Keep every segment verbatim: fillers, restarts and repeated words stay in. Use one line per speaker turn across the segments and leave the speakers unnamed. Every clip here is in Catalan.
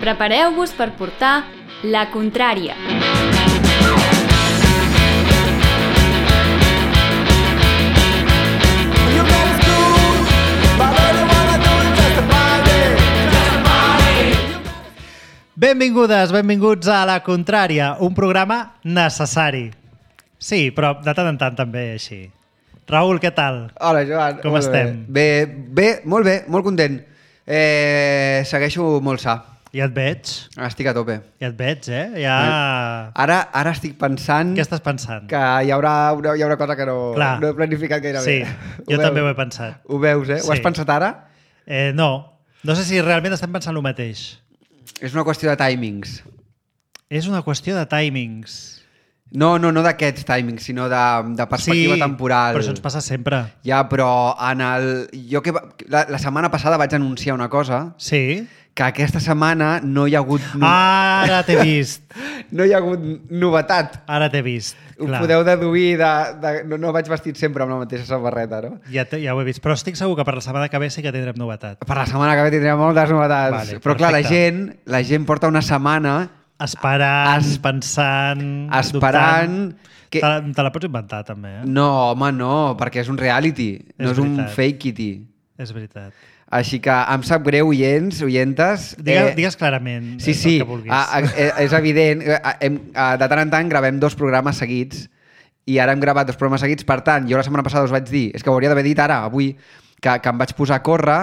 Prepareu-vos per portar la contrària.
Benvingudes, benvinguts a La Contrària, un programa necessari. Sí, però de tant en tant també així. Raül, què tal?
Hola, Joan.
Com estem?
Bé. bé, bé, molt bé, molt content. Eh, segueixo molt sa.
Ja et veig.
Estic a tope.
Ja et veig, eh? Ja...
Ara, ara estic pensant...
Què estàs pensant?
Que hi haurà una, hi haurà una cosa que no, no he planificat gairebé.
Sí,
ho
jo
veus?
també ho he pensat.
Ho veus, eh?
Sí.
Ho has pensat ara?
Eh, no. No sé si realment estem pensant el mateix.
És una qüestió de timings.
És una qüestió de timings.
No, no, no d'aquests timings, sinó de, de perspectiva
sí,
temporal.
Però això ens passa sempre.
Ja, però en el... Jo que... La, la setmana passada vaig anunciar una cosa...
Sí.
Que aquesta setmana no hi ha hagut...
No... Ara t'he vist.
No hi ha hagut novetat.
Ara t'he vist.
Ho
clar.
Podeu deduir de... de no, no vaig vestit sempre amb la mateixa samarreta, no?
Ja, te, ja ho he vist. Però estic segur que per la setmana que ve sí que tindrem novetat.
Per la setmana que ve tindrem moltes novetats.
Vale,
però clar, la
perfecte.
gent, la gent porta una setmana...
Esperant,
Es...
pensant...
Esperant...
Que... Te, la, te la pots inventar, també, eh?
No, home, no, perquè és un reality.
És
no és
veritat.
un fake-ity.
És veritat.
Així que em sap greu, oients, oientes...
Digues,
eh,
digues clarament
sí,
el
sí,
que vulguis.
A, a, és evident. A, hem, a, de tant en tant gravem dos programes seguits i ara hem gravat dos programes seguits. Per tant, jo la setmana passada us vaig dir, és que ho hauria d'haver dit ara, avui, que, que em vaig posar a córrer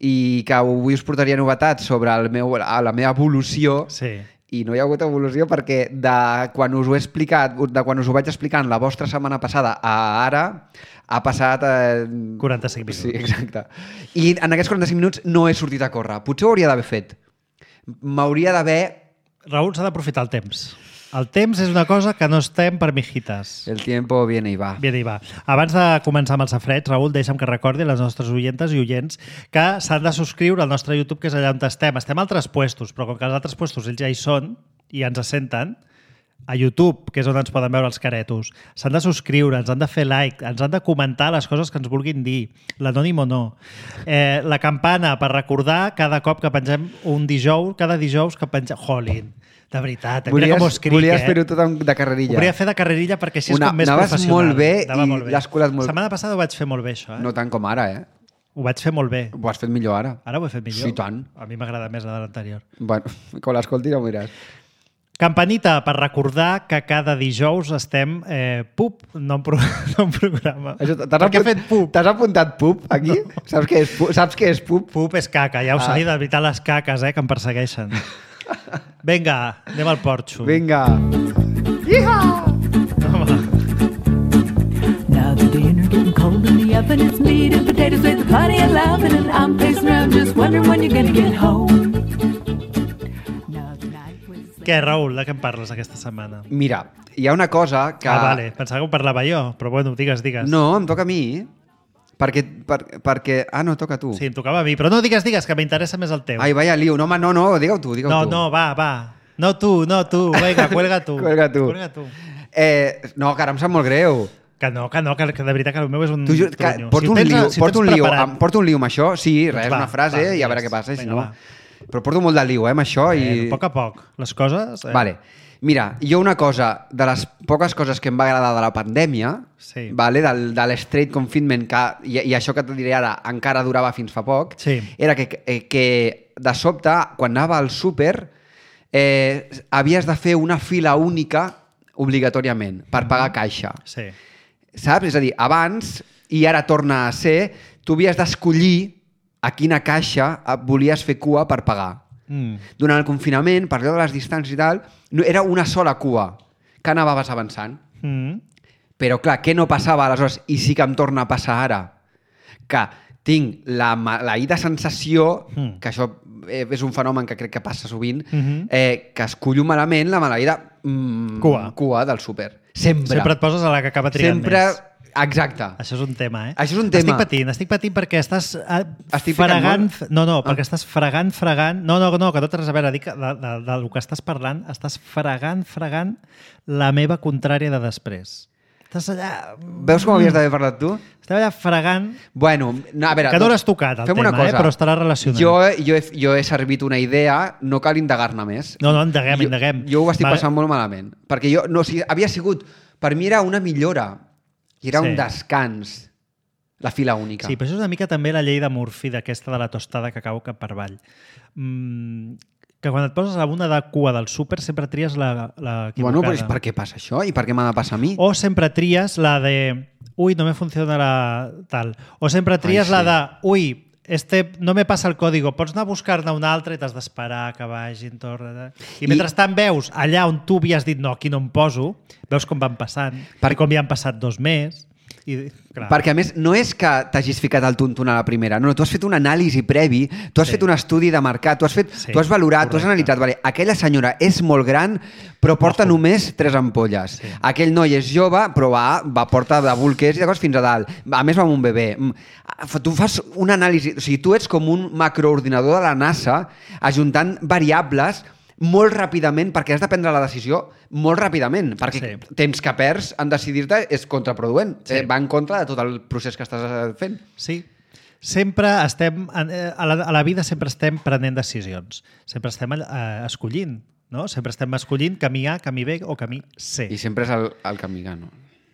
i que avui us portaria novetats sobre el meu, la meva evolució.
Sí.
I no hi ha hagut evolució perquè de quan us ho he explicat, de quan us ho vaig explicant la vostra setmana passada a ara, ha passat... Eh...
quaranta-cinc minuts.
Sí, exacte. I en aquests quaranta-cinc minuts no he sortit a córrer. Potser ho hauria d'haver fet. M'hauria d'haver...
Raül, s'ha d'aprofitar el temps. El temps és una cosa que no estem per mijitas.
El tiempo viene y va.
Viene i va. Abans de començar amb el safreig, Raül, deixa'm que recordi a les nostres oientes i oients que s'han de subscriure al nostre YouTube, que és allà on estem. Estem a altres puestos, però com que els altres puestos ells ja hi són i ens senten, a YouTube, que és on ens poden veure els caretos, s'han de subscriure, ens han de fer like, ens han de comentar les coses que ens vulguin dir, l'anònim o no. Eh, la campana per recordar cada cop que pengem un dijous, cada dijous que pengem... Jolín, de veritat,
volies,
mira com ho escric,
volies
eh?
fer-ho tot de carrerilla.
Ho volia fer de carrerilla perquè així és
Una,
com més
anaves
professional.
molt bé
Anava
i
molt bé.
l'has colat molt...
La setmana passada ho vaig fer molt bé, això. Eh?
No tant com ara, eh?
Ho vaig fer molt bé.
Ho has fet millor ara.
Ara ho he fet millor.
Sí, tant.
A mi m'agrada més la de l'anterior.
Bueno, quan l'escoltis ja ho miràs.
Campanita per recordar que cada dijous estem eh, pup, no un, pro no un programa.
Això,
per què he
apunt...
fet pup?
T'has apuntat pup aquí? No. Saps què és pup? Saps què és pup?
Pup és caca, ja ho
Ah.
sé, de veritat les caques eh, que em persegueixen. Vinga, anem al porxo.
Vinga.
Home.
Now the dinner getting cold in the oven. It's meat and potatoes with plenty of loving, and I'm pacing around just wondering when you're gonna get home. Now the night was...
Què, Raül, de què em parles aquesta setmana?
Mira, hi ha una cosa que...
Ah, vale, pensava que ho parlava jo, però bueno, digues, digues.
No, em toca a mi. Perquè, per, perquè... Ah, no, toca a tu.
Sí, em tocava a mi, però no digues, digues, que m'interessa més el teu.
Ai, vaya lío. No, home, no, no, digue-ho tu, digue-ho
no,
tu.
no, va, va. No tu, no tu, vinga, cuelga tu.
Cuelga tu.
Cuelga tu.
Eh, no, que ara em sap molt greu.
Que no, que no, que, que de veritat que el meu és un
Tu, ju- que,
tronyo.
porto,
Si ho
un
tens-
lío,
si ho
porto,
tens
un lío,
preparat-
em porto un lío amb això, sí, res,
va,
una frase
va,
i a veure
digues.
què passa. Si
Vinga,
no...
va.
Però porto molt de lío, eh, amb això. I...
Eh, a poc a poc. Les coses... Eh?
Vale. Mira, jo una cosa, de les poques coses que em va agradar de la pandèmia,
Sí.
vale, del, de l'straight confinement, que, i, i això que et diré ara encara durava fins fa poc,
Sí.
era que, que, que de sobte, quan anava al súper, eh, havies de fer una fila única obligatòriament per pagar caixa.
Sí.
Saps? És a dir, abans, i ara torna a ser, tu havies d'escollir a quina caixa volies fer cua per pagar.
Mm.
Durant el confinament, per allò de les distàncies i tal, no, era una sola cua que anaves avançant.
Mm.
Però clar, què no passava aleshores? I sí que em torna a passar ara. Que tinc la maleïda sensació,
Mm.
que això eh, és un fenomen que crec que passa sovint,
Mhm.
eh, que escollo malament la maleïda mm,
Cua.
cua del súper. Sempre.
Sempre et poses a la que acaba triant
Sempre...
més.
Exacte.
Això és un tema, eh?
Això és un tema.
Estic patint, estic patint perquè estàs eh,
Estic picant
fregant...
molt?
No, no,
Ah.
perquè estàs fregant, fregant... No, no, no, que no té res a veure. Dic que de, de, del que estàs parlant, estàs fregant, fregant la meva contrària de després. Estàs allà...
Veus com havies d'haver parlat tu?
Estem allà fregant...
Bueno, no, a veure...
Que no
doncs,
l'has tocat, el
fem
tema,
una cosa.
eh? Però estarà relacionat.
Jo, jo, he, jo he servit una idea, no cal indagar-ne més.
No, no, indaguem,
jo,
indaguem.
Jo ho estic
Va-
passant molt malament. Perquè jo, no, o sigui, havia sigut... Per mi era una millora. I era
Sí.
un descans. La fila única.
Sí, però això és una mica també la llei de Murphy, d'aquesta de la tostada que cau cap per avall. Mm, que quan et poses a una de cua del súper sempre tries la, la equivocada.
Bueno, però és per què passa això? I per què m'ha de passar a mi?
O sempre tries la de... Uy, no me funciona la tal. O sempre tries
Ai, sí.
la de... Uy, este no me passa el código. Pots anar a buscar-ne un altre i t'has d'esperar que vagin tot. I, I mentrestant veus allà on tu havies dit no, aquí no em poso, veus com van passant,
Per-
i com hi han passat dos més. I, clar,
Perquè, a més, no és que t'hagis ficat al tuntun a la primera, no, no, tu has fet una anàlisi previ, tu has
Sí.
fet un estudi de mercat, tu has, fet,
Sí,
tu has valorat, tu has
correcte.
analitzat, vale, aquella senyora és molt gran, però porta
Ojo.
només tres ampolles.
Sí.
Aquell noi és jove, però va, va porta de bolquers i de coses fins a dalt. A més, va amb un bebè. Mm, Tu fas una anàlisi, o sigui, tu ets com un macroordinador de la NASA ajuntant variables molt ràpidament, perquè has de prendre la decisió molt ràpidament, perquè
Sí.
temps que perds en decidir-te és contraproduent,
Sí.
eh, va en contra de tot el procés que estàs eh, fent.
Sí. Sempre estem... en- eh, A la, a la vida sempre estem prenent decisions. Sempre estem eh, escollint, no? Sempre estem escollint camí A, camí B o camí C.
I sempre és el, el camí gano.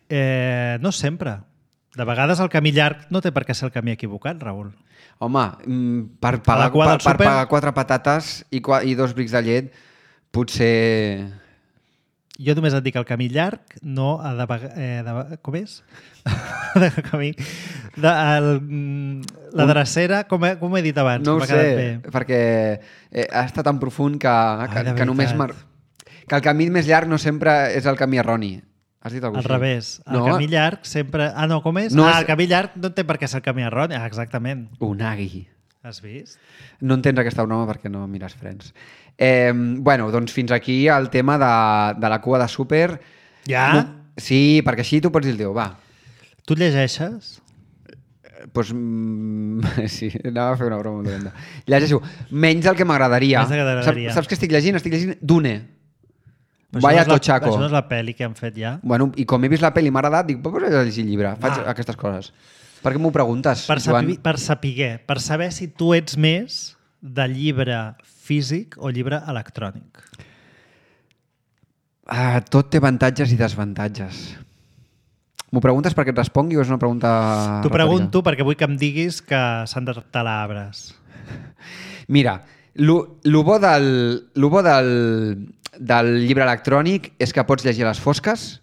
Eh, no sempre. De vegades el camí llarg no té per què ser el camí equivocat, Raül.
Home, mm, per
A
pagar,
la cua
per,
del
per
súper-
pagar quatre patates i, qua, i dos brics de llet, potser...
Jo només et dic el camí llarg, no a de, vega- eh, de com és? de camí... De, el, mm, la drecera, com he, com he dit abans?
No ho
m'ha quedat
sé,
bé.
perquè eh, ha estat tan profund que, que,
Ai, de
que només...
veritat.
Mar... Que el camí més llarg no sempre és el camí erroni. Has dit alguna
Al
cosa?
revés. El
No?
camí llarg sempre... Ah, no, com és?
No
ah,
és-
el camí llarg no té per què ser el camí erroni. Ah, exactament.
Unagi.
Has vist?
No entens aquesta broma perquè no mires Friends. Eh, bueno, doncs fins aquí el tema de, de la cua de súper.
Ja?
No, sí, perquè així tu pots dir el teu, va.
Tu llegeixes?
Doncs, pues, mm, sí, anava a fer una broma molt dolenta. Llegeixo menys del que m'agradaria.
Menys del que t'agradaria.
Saps, saps què estic llegint? Estic llegint Dune.
Però
Vaya
això no és la-
tochaco.
Això no és la pel·li que han fet ja?
Bueno, i com he vist la pel·li i m'ha agradat, dic, però pots llegir el llibre. Faig
Ah.
aquestes coses. Per què m'ho preguntes,
Per,
Joan?
saber, per saber, per saber si tu ets més de llibre físic o llibre electrònic.
Ah, tot té avantatges i desavantatges. M'ho preguntes perquè et respongui o és una pregunta
T'ho
retòrica?
pregunto perquè vull que em diguis que s'han de talar arbres.
Mira, lo, lo bo, del, lo bo del, del llibre electrònic és que pots llegir a les fosques,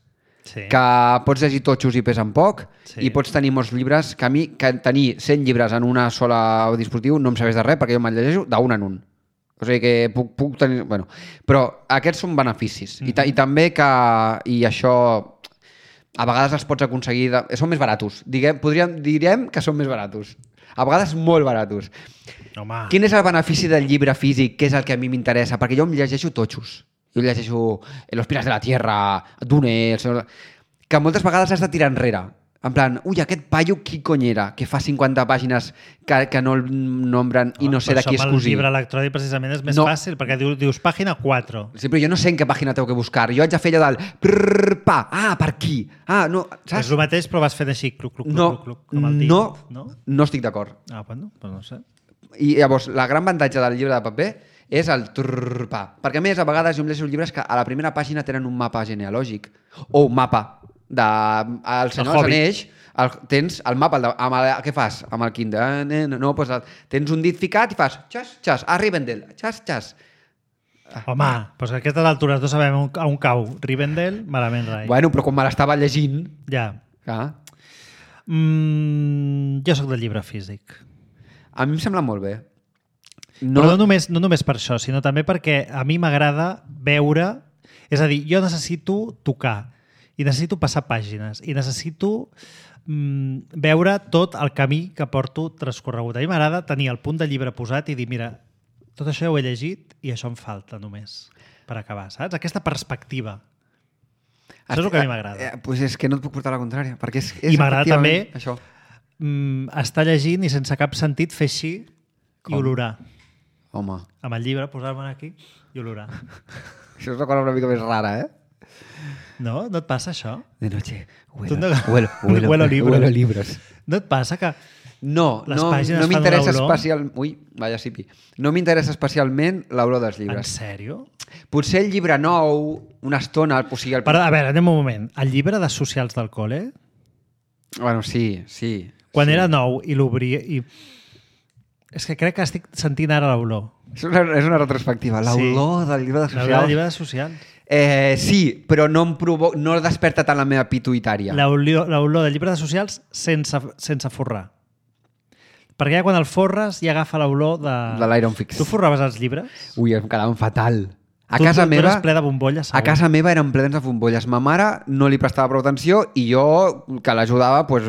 Sí.
que pots llegir totxos i pesen poc,
Sí.
i pots tenir molts llibres, que a mi que tenir cent llibres en una sola dispositiu no em serveix de res, perquè jo me'l llegeixo d'un en un. O sigui que puc, puc tenir... Bueno, però aquests són beneficis. Mm -hmm. I, ta, I també que... I això... A vegades els pots aconseguir... De, són més baratos. Diguem, podríem, direm que són més baratos. A vegades molt baratos.
Home,
Quin és el benefici del llibre físic, que és el que a mi m'interessa? Perquè jo em llegeixo totxos. Jo llegeixo Los Pilares de la Tierra, Dune... El Senyor... Que moltes vegades has de tirar enrere. En plan, ui, aquest paio qui cony era? Que fa cinquanta pàgines que, que no el nombren i no sé de qui és
El
cosí.
llibre electrònic precisament és més
No.
fàcil, perquè dius, dius pàgina quatre.
Sí, però jo no sé en què pàgina tengo que buscar. Jo haig de fer allò del... Prrr, pa, ah, per aquí. Ah, no,
És
saps?
el mateix, però vas fent així, cluc, cluc, cluc,
No,
cluc, cluc, com el dit.
no,
no?
no estic d'acord.
Ah, bueno, doncs no sé.
I llavors, la gran avantatge del llibre de paper és el trrrpa. Perquè a més, a vegades jo em llegeixo llibres que a la primera pàgina tenen un mapa genealògic o un mapa de... El Senyor dels
Hobbit.
Anells, el, tens el mapa, el de, amb el, què fas? Amb el Kindle? Eh, No, no doncs el, tens un dit ficat i fas xas, xas, a Rivendell, xas, xas.
Home, doncs a aquestes altures no sabem on, on cau. Rivendell, malament rai.
Bueno, però quan me l'estava llegint...
Ja.
Clar,
Mm, jo sóc del llibre físic.
a mi em sembla molt bé.
No. Però no només, no només per això, sinó també perquè a mi m'agrada veure... És a dir, jo necessito tocar i necessito passar pàgines i necessito mm, veure tot el camí que porto transcorregut. A mi m'agrada tenir el punt de llibre posat i dir, mira, tot això ja ho he llegit i això em falta només per acabar, saps? Aquesta perspectiva. Això és el que a mi m'agrada.
Eh, pues és que no et puc portar la contrària, perquè és, és
I m'agrada també
efectivament això.
mm, estar llegint i sense cap sentit fer així
Com?
i olorar.
Home,
Amb el llibre, posar-me'n aquí i olorar.
això és una cosa una mica més rara, eh?
No? No et passa això?
De noche,
Tu
huelo,
no-
huelo, huelo,
Huelo libros.
huelo libros.
No et passa que...
No,
Les
no,
pàgines
no
fan
m'interessa
una olor?
especialment... Ui, vaya sipi. No m'interessa especialment l'olor dels
En
llibres.
sèrio?
Potser el llibre nou, una estona, o sigui... El...
Però, a veure, anem un moment. El llibre de socials del col·le,
Bueno, sí, sí.
quan
sí.
era nou i l'obria... I... És que crec que estic sentint ara l'olor.
És una, és una retrospectiva. L'olor
Sí.
del llibre de
L'olor
socials.
del llibre de socials.
Eh, sí, però no em provo... no desperta tant la meva pituïtària.
L'olor l'olor del llibre de socials sense, sense forrar. Perquè ja quan el forres ja agafa l'olor de...
De l'Iron Fix.
Tu forraves els llibres?
Ui, em quedaven fatal. A
tu,
casa
tu,
meva...
Tu eres ple de bombolles,
A casa meva eren plens de bombolles. Ma mare no li prestava prou atenció i jo, que l'ajudava, pues,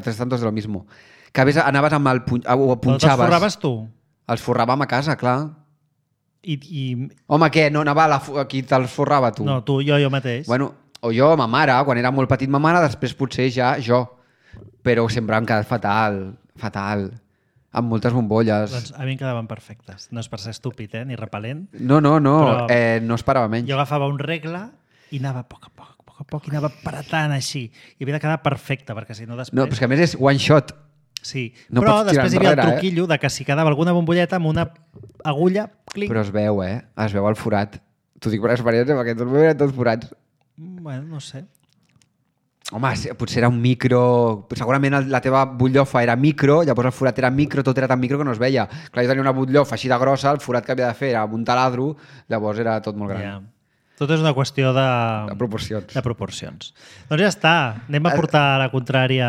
tres tantos de lo mismo. Que a vegades anaves amb el... Pun... ho
Però te'ls
punxaves.
forraves tu?
Els forràvem a casa, clar.
I, i...
Home, què? No anava a la... fu- qui te'ls forrava, tu?
No, tu, jo, jo mateix.
Bueno, o jo, ma mare, quan era molt petit ma mare, després potser ja jo. Però sempre em quedat fatal, fatal. Amb moltes bombolles.
Doncs a mi em quedaven perfectes. No és per ser estúpid, eh? Ni repel·lent.
No, no, no,
Però-
eh, no esperava menys.
Jo agafava un regle i anava a poc a poc, a poc a poc, i anava apretant així. I havia de quedar perfecte, perquè si no després...
No, però és que a més és one shot.
Sí,
no
però
pots tirar
després hi havia el
enrere, eh?
truquillo de que si quedava alguna bombolleta amb una agulla, clic.
Però es veu, eh? Es veu el forat. T'ho dic per experiència, perquè tots meus eren tots forats.
Bueno, no sé.
Home, sí, potser era un micro... Segurament el- la teva butllofa era micro, llavors el forat era micro, tot era tan micro que no es veia. Clar, jo tenia una butllofa així de grossa, el forat que havia de fer era amb un taladro, llavors era tot molt gran.
Ja. Tot és una qüestió de...
De proporcions.
De proporcions. Doncs ja està. Anem a portar la contrària...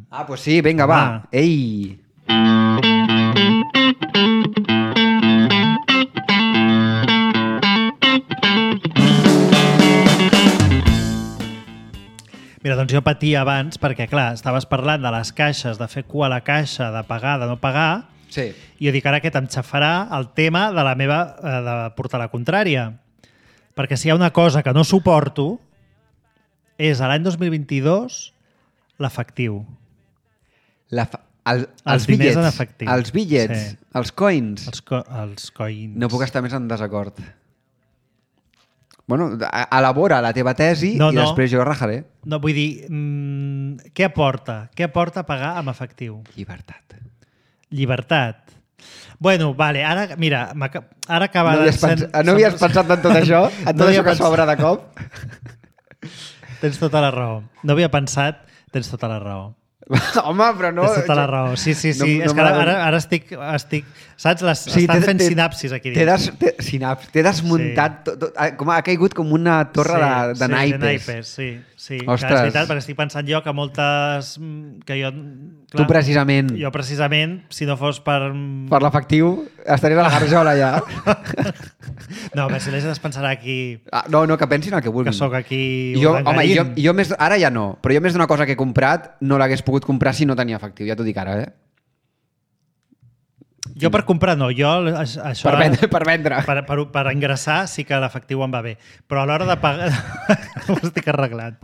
Ah, doncs sí, vinga, va.
Va.
Ei!
Mira, doncs jo patia abans perquè, clar, estaves parlant de les caixes, de fer cua a la caixa, de pagar, de no pagar,
Sí.
i jo dic ara que em xafarà el tema de la meva... Eh, de portar la contrària. Perquè si hi ha una cosa que no suporto és a l'any dos mil vint-i-dos l'efectiu.
La fa... el,
Els
els
diners
bitllets,
en efectiu.
els bitllets,
Sí.
els coins.
Els, co els coins.
No puc estar més en desacord. Bueno, a- elabora la teva tesi
No,
i
no.
després jo rajaré.
No, vull dir, mmm, què aporta? Què aporta pagar amb efectiu?
Llibertat.
Llibertat. Bueno, vale, ara, mira, m'aca- ara acaba
No
de...
havies, pens... no havies pensat en tot això? En tot
No havia
això que
pensat.
s'obre de cop?
Tens tota la raó. No havia pensat, tens tota la raó.
Home, però no...
Tens tota la raó. Sí, sí, sí.
No-
és
no
que ara,
m'agrada.
ara, ara estic, estic... Saps? Les,
Sí,
estan
t'he-
fent
t'he-
sinapsis aquí
T'he
dins.
des, t'he, sinaps, t'he desmuntat... Sí. Tot, tot, ah, com ha caigut com una torre
sí,
de, de
sí,
naipes.
de naipes. Sí, sí. Que
Ostres.
és veritat, perquè estic pensant jo que moltes... mm, que jo...
Tu precisament,
Jo precisament, si no fos per...
per l'efectiu, estaries a la garjola ja.
No, a veure, si la gent es pensarà aquí
Ah, no, no, que pensin el que vulguin.
que sóc aquí
jo, home,
urdangarín.
jo, jo més, ara ja no, però jo més d'una cosa que he comprat no l'hagués pogut comprar si no tenia efectiu, ja t'ho dic ara, eh?
Jo per comprar no, jo aix- això...
Per vendre, per vendre.
Per, per, per ingressar sí que l'efectiu em va bé, però a l'hora de pagar ho estic arreglant.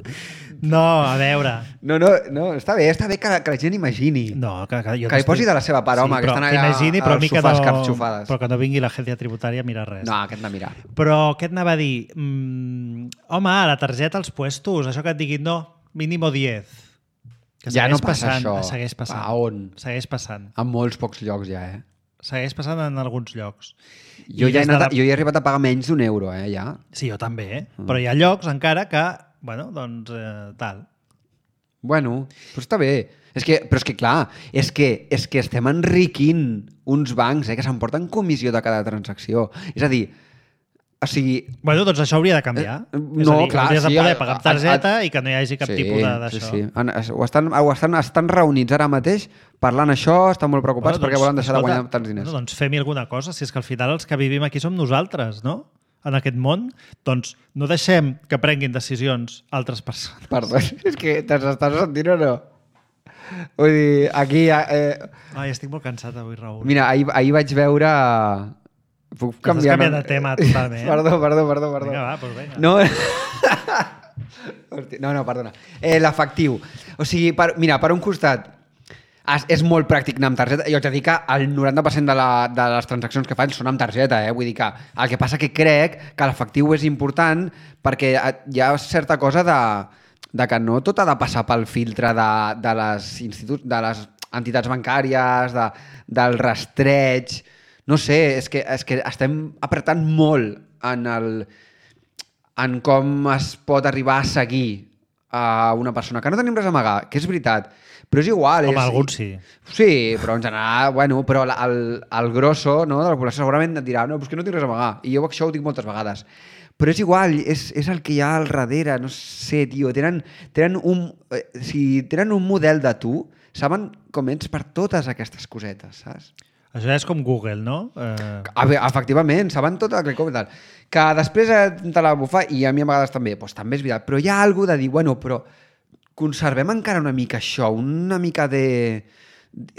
No, a veure...
No, no, no, està bé, està bé que, que la gent imagini.
No, que, que, jo
Que li posi de la seva part, home, que
però
estan allà
imagini, però
als
a mi que
sofàs
no,
carxofades.
però que no vingui l'agència tributària a mirar res.
No, aquest de mirar.
Però què et anava a dir? Mm, home, la targeta als puestos, això que et diguin, no, mínimo diez. Que
Ja
segueix
no passa
passant,
això.
Segueix passant.
A on?
Segueix passant.
En molts pocs llocs ja, eh?
Segueix passant en alguns llocs.
Jo,
I
ja he
des de
anat,
la-
a- jo ja he arribat a pagar menys d'un euro, eh, ja.
Sí, jo també, eh?
Mm.
Però hi ha llocs encara que, bueno, doncs, eh, tal.
Bueno, però està bé. És que, però és que, clar, és que, és que estem enriquint uns bancs eh, que s'emporten comissió de cada transacció. És a dir, o sigui...
Bueno, doncs això hauria de canviar.
Eh,
És
no,
a dir,
clar,
hauries
sí,
de poder
a-
pagar amb
a-
targeta
a-
i que no hi hagi cap tipus de- d'això.
Sí, sí. Han- es- Ho estan, ho estan, estan reunits ara mateix parlant això, estan molt preocupats
Bueno,
perquè volen deixar
escolta,
de guanyar tants diners.
Bueno, doncs fem-hi alguna cosa, si és que al final els que vivim aquí som nosaltres, no? En aquest món, doncs no deixem que prenguin decisions altres persones.
Perdó, és que te'ns estàs sentint o no? Vull dir, aquí... Eh,
Ai, estic molt cansat avui, Raül.
mira, ahir, ahir vaig veure... Puc
Estàs
canviar...
canviant de tema totalment.
Perdó, perdó, perdó, perdó.
Vinga, va, doncs vinga.
No, Hosti, no, no, perdona. Eh, L'efectiu. O sigui, per, mira, per un costat, es, és molt pràctic anar amb targeta. Jo haig de dir que el noranta per cent de, la, de les transaccions que faig són amb targeta, eh? Vull dir que el que passa que crec que l'efectiu és important perquè hi ha certa cosa de, de que no tot ha de passar pel filtre de, de, les, instituts, de les entitats bancàries, de, del rastreig... No sé, és que, és que estem apretant molt en, el, en com es pot arribar a seguir a una persona. Que no tenim res a amagar, que és veritat. Però és igual.
Com
és,
alguns sí.
Sí, però en general, bueno, però el, el grosso, no, de la població segurament et dirà no, però és que no tinc res a amagar. I jo això ho dic moltes vegades. Però és igual, és, és el que hi ha al darrere, no sé, tio. Tenen, tenen, un, eh, si tenen un model de tu, saben com ets per totes aquestes cosetes, saps?
Això és com Google, no? Eh...
A veure, efectivament, saben tot el que com i tal. Que després te la bufa, i a mi a vegades també, doncs també és veritat, però hi ha alguna de dir, bueno, però conservem encara una mica això, una mica de...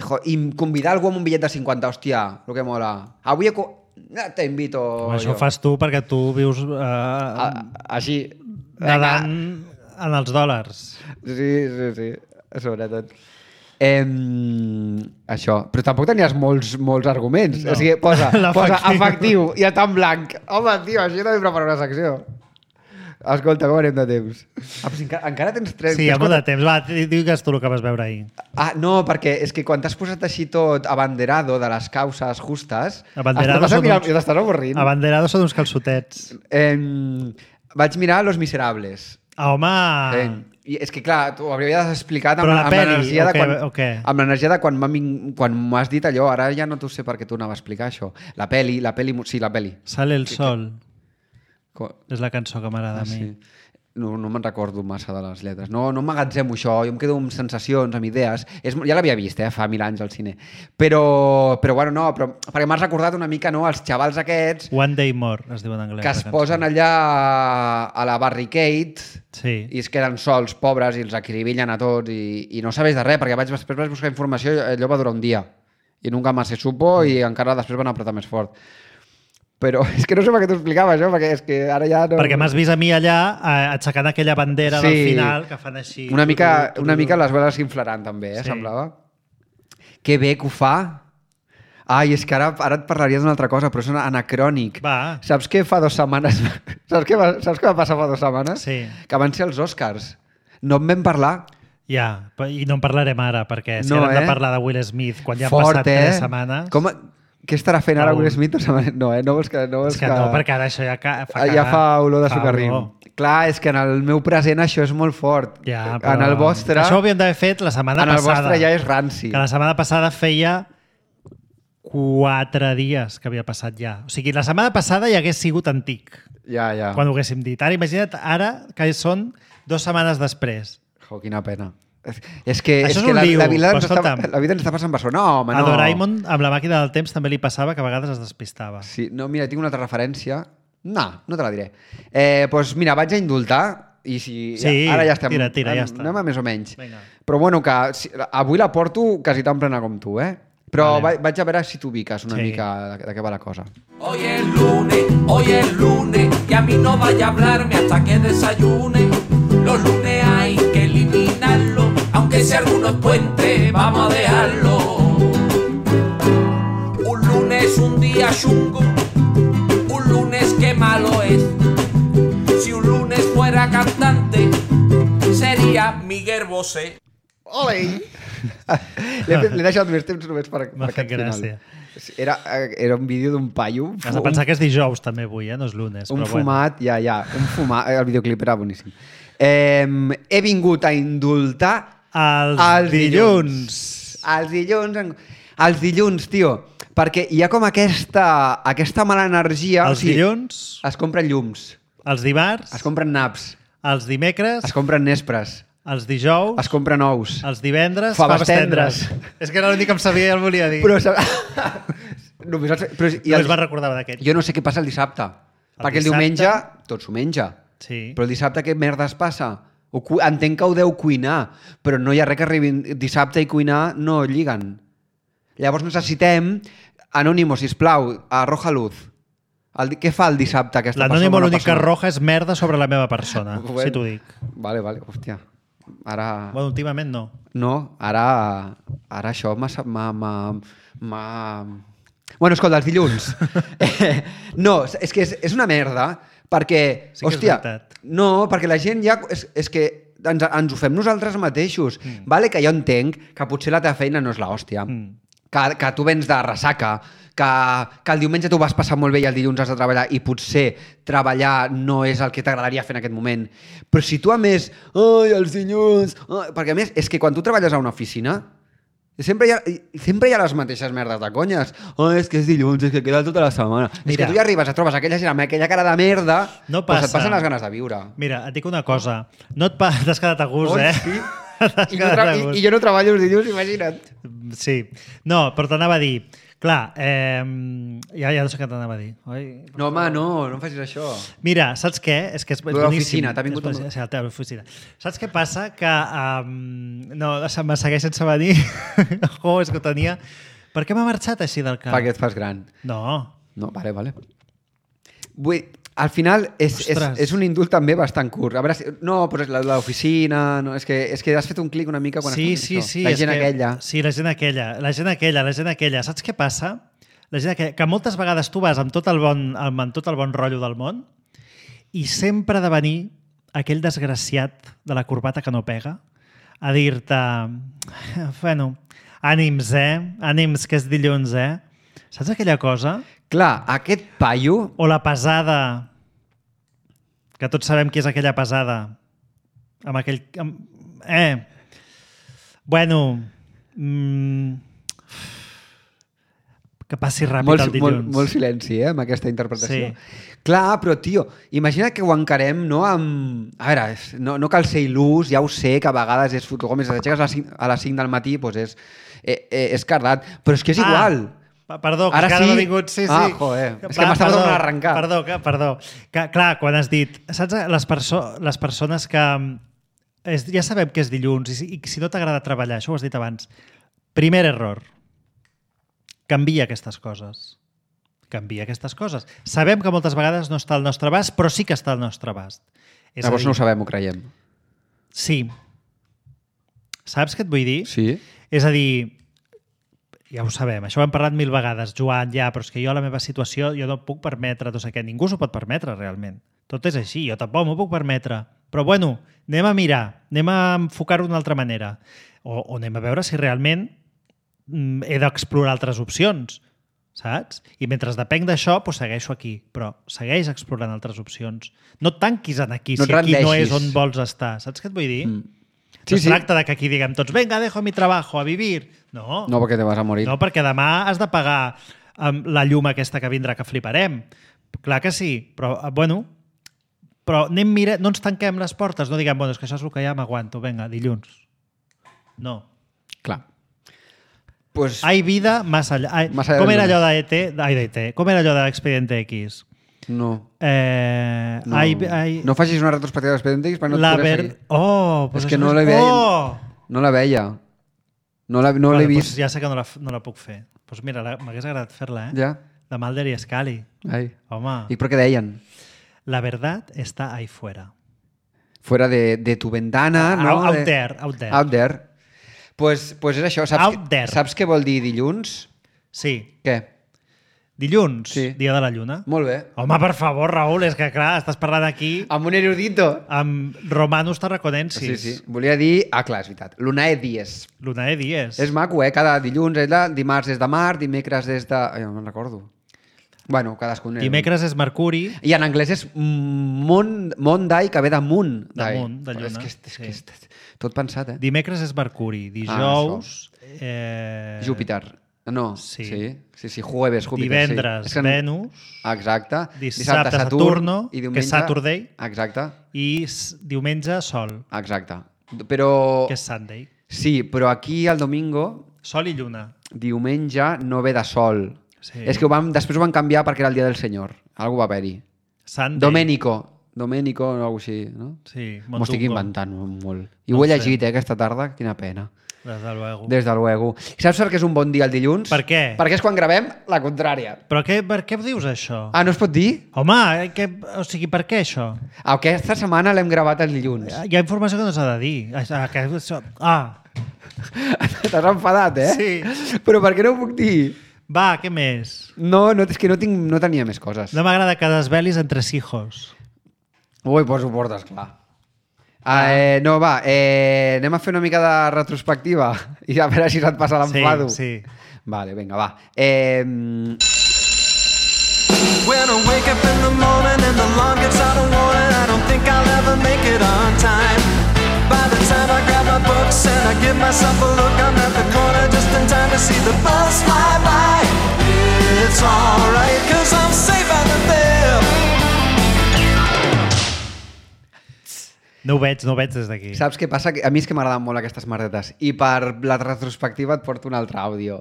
Jo, i convidar algú amb un bitllet de cinquanta, hòstia, el que mola. Avui te invito
Home, això
jo.
ho fas tu perquè tu vius... Eh,
a, així...
Nedant en els dòlars.
Sí, sí, sí, sobretot. Eh, això, però tampoc tenies molts, molts arguments.
No.
O sigui, posa, posa
L'efectiu.
efectiu i està en blanc. Home, tio, així també preparo una secció. Escolta, com anem de temps? Ah, però si encara, encara tens tres...
Sí, hi ha molt de temps. Va, digues tu el que vas veure ahir.
Ah, no, perquè és que quan t'has posat així tot abanderado de les causes justes,
Abanderado
estàs
són
mirant
uns-
i t'estàs avorrint.
Abanderado són uns calçotets.
Eh, vaig mirar Los Miserables.
Ah, home...
Eh, I és que, clar, t'ho hauries explicat amb,
Però la
amb
peli,
l'energia
o
de
què-
quan,
o què?
amb l'energia de quan m'ha vin- quan m'has dit allò, ara ja no t'ho sé perquè tu anava a explicar això. La peli, la peli, sí, la peli.
Sale el sol.
Co-
És la cançó que m'agrada
Ah,
a mi.
sí. No, no me'n recordo massa de les lletres. No, no emmagatzemo això, jo em quedo amb sensacions, amb idees. És, ja l'havia vist, eh, fa mil anys al cine. Però, però bueno, no, però, perquè m'has recordat una mica, no, els xavals aquests
One Day More, es diu en anglès.
que es posen allà a la barricade
Sí.
i es queden sols, pobres, i els acribillen a tots i, i no sabeix de res, perquè vaig, després vaig buscar informació i allò va durar un dia. I nunca más se supo i encara després van apretar més fort. Però és que no sé per què t'ho explicava això, perquè és que ara ja no...
Perquè m'has vist a mi allà eh, aixecant aquella bandera
Sí.
del final que fan així.
Una mica,
Turu, turu,
una
turu.
mica les veles s'inflaran també, eh,
Sí.
semblava. Que bé que ho fa. Ai, és que ara, ara et parlaria d'una altra cosa, però és anacrònic.
Va.
Saps què fa dues setmanes... Saps què va, saps què va passar fa dues setmanes?
Sí.
Que van ser els Oscars. No en vam parlar.
Ja, pe- i no en parlarem ara, perquè si
No,
no, hem
eh?
de parlar de Will Smith quan ja han
Fort,
passat
eh?
tres setmanes...
Com, què estarà fent ara
Raül.
Will Smith? No, eh? No vols que... No vols
És que no, perquè ara això ja, ca, fa
ja
cagar.
fa olor de
Fa
sucarrim.
olor.
Clar, és que en el meu present això és molt fort.
Ja,
En
però
el vostre...
Això ho havíem d'haver fet la setmana
en el
passada.
vostre ja és ranci.
Que la setmana passada feia quatre dies que havia passat ja. O sigui, la setmana passada ja hagués sigut antic,
Ja, ja.
quan ho haguéssim dit. Ara, imagina't, ara que són dues setmanes després.
Jo, quina pena. És, és que,
Això
és
és
que
un
la,
lío,
la, vida
però
ens està,
escolta'm.
la vida ens està passant per sobre. No, home,
A
no.
Doraemon, amb la màquina del temps, també li passava que a vegades es despistava.
Sí, no, mira, tinc una altra referència. No, no te la diré. Eh, doncs mira, vaig a indultar i si
Sí,
ja, ara ja estem...
tira, tira, ja
anem-
està.
Anem a més o menys.
Vinga.
Però bueno, que si, avui la porto quasi tan plena com tu, eh? Però
Vale.
vaig, vaig a veure si t'ubiques una
Sí.
mica de, de què va la cosa.
Hoy es lunes, hoy es lunes, y a mí no vaya a hablarme hasta que desayune. Los lunes hay que eliminarlo, aunque sea algunos puentes, vamos a dejarlo. Un lunes es un día chungo, un lunes que malo es. Si un lunes fuera cantante, sería Miguel Bosé.
Ole! L'he fet- l'he deixat més temps només per, per
M'ha fet
aquest final.
gràcia.
Era, era un vídeo d'un paio.
Has de pensar que és dijous també avui, eh? No és lunes.
Un
però bueno.
fumat, ja, ja, un fumat. El videoclip era boníssim. Eh, he vingut a indultar
Els,
els
dilluns.
dilluns. Els dilluns, en- els dilluns, tio, perquè hi ha com aquesta, aquesta mala energia.
Els dilluns,
Es compren llums,
els dimarts,
es compren naps,
els dimecres,
es compren nespres,
els dijous,
es compren ous.
els divendres,
Faves
faves tendres. És que era l'únic que em sabia i el volia dir.
Però, sab- Només els... Però, i
no
el...
es va recordar d'aquest.
Jo no sé què passa el dissabte.
El
perquè el
dissabte-
diumenge tot s'ho menja.
Sí.
Però el dissabte què merda es passa? Ho cu... Entenc que ho deu cuinar, però no hi ha res que arribi dissabte i cuinar no lliguen. Llavors necessitem Anónimo, sisplau, arroja luz. El... di- Què fa el dissabte aquesta persona?
L'anònimo
bona
l'únic que
persona?
arroja és merda sobre la meva persona,
Bueno.
si t'ho dic.
Vale, vale, hòstia. Ara...
Bueno, últimament no.
No, ara, ara això m'ha... m'ha- m'ha- m'ha- Bueno, escolta, els dilluns. Eh, no, és que és, és una merda, perquè...
Sí que és
hòstia,
veritat.
no, perquè la gent ja... És, és que ens, ens ho fem nosaltres mateixos. Mm. Vale, que jo entenc que potser la teva feina no és l'hòstia. Mm. Que, que tu vens de ressaca, que, que el diumenge tu vas passar molt bé i el dilluns has de treballar i potser treballar no és el que t'agradaria fer en aquest moment. Però si tu a més... Ai, els dilluns... Ai, perquè a més, és que quan tu treballes a una oficina... Sempre hi, ha, sempre hi ha les mateixes merdes de conyes. Oh, és que és dilluns, és que queda tota la setmana. Mira, és que tu ja arribes, et trobes aquella gent amb aquella cara de merda,
No
doncs
passa.
et passen les ganes de viure.
Mira, et dic una cosa. No et pa... T'has quedat a gust,
Oi,
eh?
sí?
T'has
I, no
quedat
tra
a
i,
gust.
I jo no treballo els dilluns, imagina't.
Sí. No, però t'anava a dir... Clar, eh, ja, ja no sé què t'anava a dir. Oi?
No, home, no, no em facis això.
Mira, saps què? És que és, és
Lo de
boníssim.
l'oficina, t'ha vingut
És
amb-
boníssim. Sí, la teva oficina. Saps què passa? Que... Um, no, se- me segueix sense venir. Oh, és que ho tenia... Per què m'ha marxat així del cap?
Perquè et fas gran.
No.
No, vale, vale. Vull, al final és, és,
Ostres.
és un indult també bastant curt. A veure, si, no, però és la- l'oficina... No, és, que, és que has fet un clic una mica quan
Sí,
has
sí,
fet
sí.
això. La
és
gent
que,
aquella.
Sí, la gent aquella, la gent aquella, la gent aquella. Saps què passa? La gent aquella, que moltes vegades tu vas amb tot el bon, amb tot el bon rotllo del món i sempre ha de venir aquell desgraciat de la corbata que no pega a dir-te bueno, ànims, eh? Ànims, que és dilluns, eh? Saps aquella cosa?
Clar, aquest paio...
O la pesada, que tots sabem qui és aquella pesada. Amb aquell... Amb... Eh... Bueno... Mm... Que passi ràpid
Molt,
el dilluns.
molt, molt silenci, eh, amb aquesta interpretació.
Sí.
Clar, però, tio, imagina que ho encarem, no amb... A veure, és- no, no cal ser il·lús, ja ho sé, que a vegades és fotocom, si t'aixeques a les cinc- a les cinc del matí, doncs és, eh, eh, és cardat, però és que és igual.
Ah, perdó, que
Ara
ara
sí?
m'ha vingut... Sí, sí.
Ah, joder, és que
Va,
m'estava
perdó,
tornant a arrencar.
Perdó, que, perdó. Que, clar, quan has dit... Saps les, perso les persones que... És, ja sabem que és dilluns i si, i si no t'agrada treballar, això ho has dit abans. Primer error. Canvia aquestes coses. Canvia aquestes coses. Sabem que moltes vegades no està al nostre abast, però sí que està al nostre abast. És a
Llavors
dir,
no ho sabem, ho creiem.
Sí. Saps què et vull dir?
Sí?
És a dir, ja ho sabem, això ho hem parlat mil vegades, Joan, ja, però és que jo a la meva situació jo no puc permetre, no sé què, ningú s'ho pot permetre realment. Tot és així, jo tampoc m'ho puc permetre. Però bueno, anem a mirar, anem a enfocar-ho d'una altra manera. O, o anem a veure si realment mm, he d'explorar altres opcions, saps? I mentre depenc d'això, doncs segueixo aquí, però segueix explorant altres opcions. No et tanquis en aquí,
No
si
et
aquí no
rendeixis.
és on vols estar. Saps què et vull dir?
Mm.
No
Sí,
es
sí.
tracta de que aquí diguem tots venga, dejo mi trabajo, a vivir. No,
No, perquè te vas a morir.
no perquè demà has de pagar um, la llum aquesta que vindrà, que fliparem. Clar que sí, però, uh, bueno, però anem mira, no ens tanquem les portes, no diguem, bueno, és que això és el que ja m'aguanto, vinga, dilluns. No.
Clar. Pues,
Hay vida más allá. Hay,
Más allá
com
del
era allò
lunes.
de E T? Ai, de E T. Com era allò de l'Expediente X?
no.
Eh,
No,
hay, hay,
no facis una retrospectiva d'Expediente X perquè no et
la
podré
ver...
seguir.
Oh, pues
És que
això
no
és-
la veia.
Oh!
No la veia. No la- no
Vale,
l'he
pues
vist.
ja sé que no la, no la puc fer. Doncs pues mira, la- m'hagués agradat fer-la, eh?
Ja.
De Mulder i Scully.
Ai.
Home,
I per què deien?
la verdad está ahí fuera.
Fuera de, de tu ventana, no?
Out
de...
there, out there.
Out there. Pues, pues és això. Saps,
Out
que-
there.
saps què vol dir dilluns?
Sí.
Què?
Dilluns,
Sí.
dia de la lluna.
Molt bé.
Home, per favor, Raül, és que clar, estàs parlant aquí
Amb un erudito.
amb romanos tarraconensis.
Sí, sí. Volia dir... Ah, clar, és veritat. Lunae dies.
Lunae dies.
És maco, eh? Cada dilluns és de... Dimarts és de mar, dimecres és de... Ai, no me'n recordo. Bueno, cadascun...
Dimecres és Mercuri.
I en anglès és mon, Monday, que ve de moon.
De moon, de lluna,
És que, és, és,
sí.
que és, tot pensat, eh?
Dimecres és Mercuri. Dijous... eh...
Júpiter. No,
sí.
sí. Sí, sí, jueves, Júpiter.
Divendres,
sí. És que...
Venus.
Exacte.
Dissabte, Saturno,
i
que
diumenge...
és Saturday.
Exacte.
I s- diumenge, Sol,
Exacte. Però...
que és Sunday.
Sí, però aquí el domingo,
Sol i lluna.
diumenge, no ve de sol.
Sí.
És que ho vam, després ho van canviar perquè era el dia del Senyor. Algú va haver-hi.
Sunday.
Domènico. Domènico o alguna cosa així, no?
Sí,
M'ho estic
Mondungo.
inventant molt. I
No
ho he
ho sé.
llegit, eh, aquesta tarda. Quina pena.
Des de luego.
Des de luego. Saps per què és un bon dia el dilluns?
Per què?
Perquè és quan gravem la contrària.
Però què, per què dius això?
Ah, no es pot dir?
Home, eh, que, o sigui, per què això?
Aquesta setmana l'hem gravat el dilluns.
Hi ha informació que no s'ha de dir. Ah, que això... ah.
T'has enfadat, eh?
Sí.
Però per què no ho puc dir?
Va, què més?
No, no és que no, tinc, no tenia més coses.
No m'agrada que desvelis entre hijos.
Ui, pues ho portes clar. Ah, eh, no, va, eh, anem a fer una mica de retrospectiva i a veure si se't passa l'enfado.
Sí, sí.
Vale, vinga, va. Eh...
When I wake up in the morning and the alarm gets out of warning, I don't think I'll ever make it on time. By the time I grab my books and I give myself a look, I'm at the corner just in time to see the bus fly by. It's alright, cause I'm safe out of there.
No ho veig, no ho veig des d'aquí.
Saps què passa? A mi és que m'agraden molt aquestes merdetes. I per la retrospectiva et porto un altre àudio.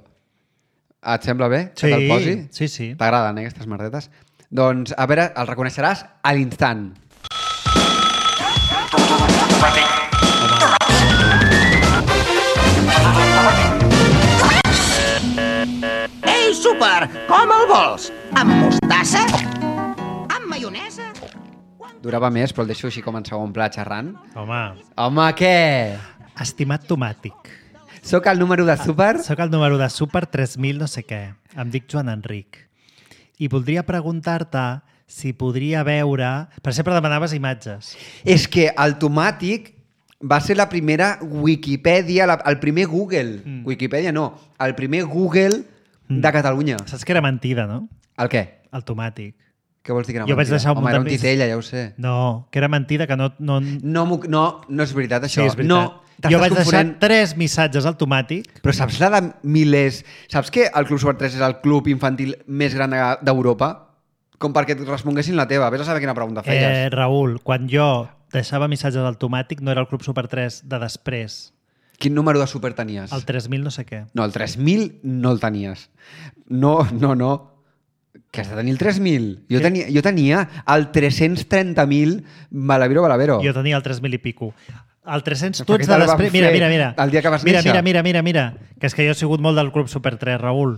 Et sembla bé?
Sí,
que te'l posi?
sí, sí.
T'agraden, eh, aquestes merdetes? Doncs, a veure, el reconeixeràs a l'instant.
Ei, súper! Com el vols? Amb mostassa? Amb maionesa?
Durava més, però el deixo així com en segon pla xerrant.
Home,
Home, què?
estimat tomàtic.
Soc el número de súper?
Soc el número de Super tres mil no sé què. Em dic Joan Enric. I voldria preguntar-te si podria veure... Per sempre demanaves imatges.
És que el tomàtic va ser la primera Wikipedia, la, el primer Google. Mm. Wikipedia no, el primer Google mm. de Catalunya.
Saps que era mentida, no?
El què?
El tomàtic.
Què vols dir que era
Jo vaig
mentida?
deixar un
Home,
munt
era un
de més.
titella, ja ho sé.
No, que era mentida, que no... No,
No, m'ho- no, no és veritat, això.
sí, és veritat.
No, t'estàs
jo vaig
confonent.
deixar tres missatges al tomàtic.
Però saps la de milers... Saps que el Club Super tres és el club infantil més gran de- d'Europa? Com perquè et responguessin la teva. Vés a saber quina pregunta
Eh,
feies.
Raül, quan jo deixava missatges al tomàtic no era el Club Super tres de després.
Quin número de super tenies?
El tres mil no sé què.
No, el tres mil no el tenies. No, no, no. Que has de tenir el tres mil. Jo
Què?
tenia, jo tenia el tres-cents trenta mil Balavero Balavero.
Jo tenia el tres mil i pico. El tres-cents, tu
Per
ets
què
de
te'l van
després... Mira,
fer
mira, mira.
el dia que vas
mira,
néixer?
Mira, mira, mira, mira. Que és que jo he sigut molt del Club Super tres, Raül.